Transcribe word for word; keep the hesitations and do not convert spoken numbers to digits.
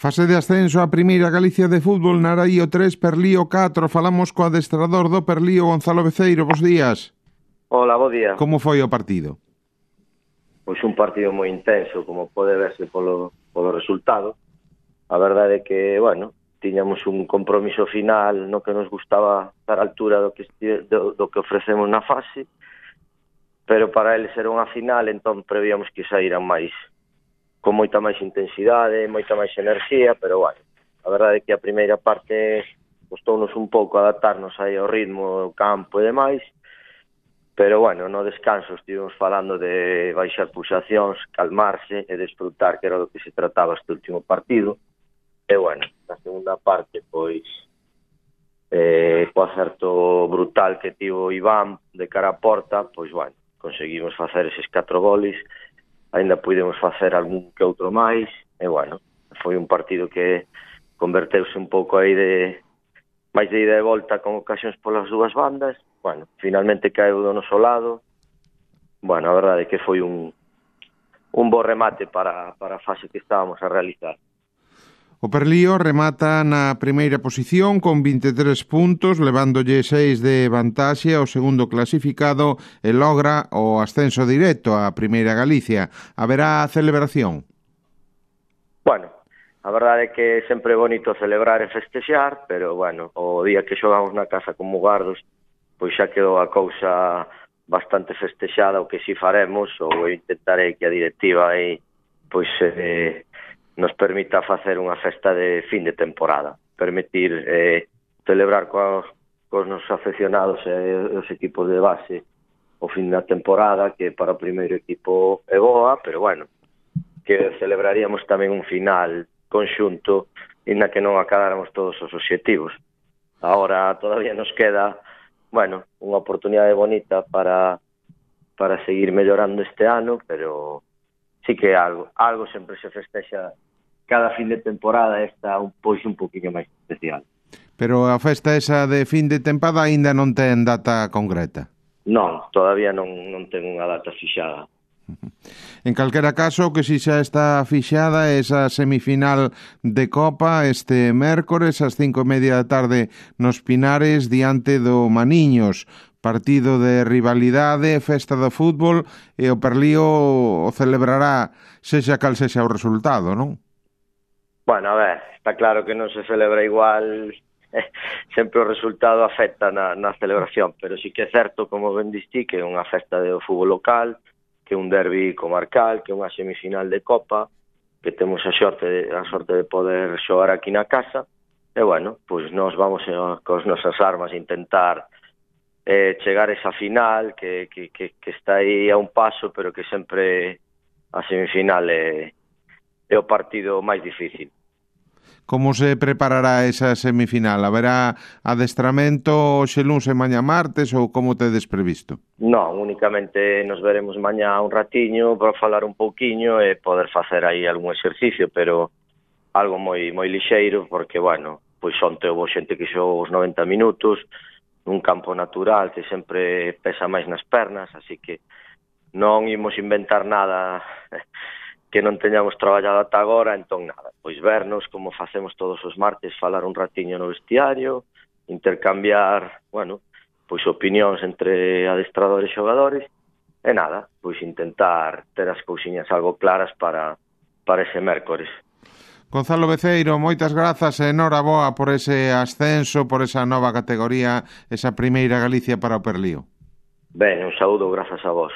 Fase de ascenso a Primeira Galicia de fútbol, Naraío tres, Perlío catro. Falamos co adestrador do Perlío, Gonzalo Beceiro. Bos días. Hola, bo día. Como foi o partido? Pois un partido moi intenso, como pode verse polo, polo resultado. A verdade é que, bueno, tiñamos un compromiso final no que nos gustaba estar a altura do que, do, do que ofrecemos na fase, pero para eles era unha final, entón prevíamos que saíran máis, con moita máis intensidade, moita máis enerxía, pero, bueno, a verdade é que a primeira parte costounos un pouco adaptarnos aí ao ritmo do campo e demais, pero, bueno, no descanso estivemos falando de baixar pulsacións, calmarse e desfrutar, que era do que se trataba este último partido. E, bueno, na segunda parte, pois, eh, co acerto brutal que tivo Iván de cara a porta, pois, bueno, conseguimos facer eses catro goles, ainda pudemos facer algún que outro máis, e, bueno, foi un partido que converteuse un pouco aí de máis de ida e volta con ocasións polas dúas bandas. Bueno, finalmente caeu do noso lado. Bueno, a verdade é que foi un un bo remate para, para a fase que estábamos a realizar. O Perlío remata na primeira posición con vinte e tres puntos, levándolle seis de vantaxe ao segundo clasificado e logra o ascenso directo á Primeira Galicia. Haberá celebración? Bueno, a verdade é que sempre é bonito celebrar e festexar, pero, bueno, o día que xogamos na casa con Mugardos, pois xa quedou a cousa bastante festexada. O que si faremos, ou intentarei que a directiva aí, pois, eh, nos permita facer unha festa de fin de temporada, permitir eh, celebrar coa, cos nosos afeccionados e os equipos de base o fin da temporada, que para o primeiro equipo é boa, pero, bueno, que celebraríamos tamén un final conxunto na que non acadáramos todos os obxectivos. Agora todavía nos queda, bueno, unha oportunidade bonita para para seguir mellorando este ano, pero sí que algo algo sempre se festexa cada fin de temporada, esta un pois un poquinho máis especial. Pero a festa esa de fin de tempada aínda non ten data concreta? Non, todavía non, non ten unha data fixada. En calquera caso, que si xa está fixada esa semifinal de Copa este mércores ás cinco e media da tarde nos Pinares diante do Maniños, partido de rivalidade, festa do fútbol, e o Perlío o celebrará sexa cal sexa o resultado, non? Bueno, a ver, está claro que non se celebra igual, sempre o resultado afecta na, na celebración, pero sí que é certo, como ben distí, que é unha festa do fútbol local, que é un derbi comarcal, que é unha semifinal de Copa, que temos a sorte de, a sorte de poder xogar aquí na casa, e, bueno, pois nós vamos a, cos nosas armas a intentar eh, chegar a esa final, que, que, que, que está aí a un paso, pero que sempre a semifinal é, é o partido máis difícil. Como se preparará esa semifinal? Haberá adestramento hoxe luns e mañá martes ou como tedes previsto? Non, únicamente nos veremos mañá un ratiño para falar un pouquiño e poder facer aí algún exercicio, pero algo moi moi lixeiro, porque, bueno, pois onte houve xente que xogou os noventa minutos nun campo natural que sempre pesa máis nas pernas, así que non imos inventar nada que non teñamos traballado ata agora, entón nada, pois vernos como facemos todos os martes, falar un ratiño no vestiario, intercambiar, bueno, pois opinións entre adestradores e xogadores, e nada, pois intentar ter as cousiñas algo claras para, para ese mércores. Gonzalo Beceiro, moitas grazas e enhoraboa por ese ascenso, por esa nova categoría, esa Primeira Galicia para o Perlío. Ben, un saúdo, grazas a vos.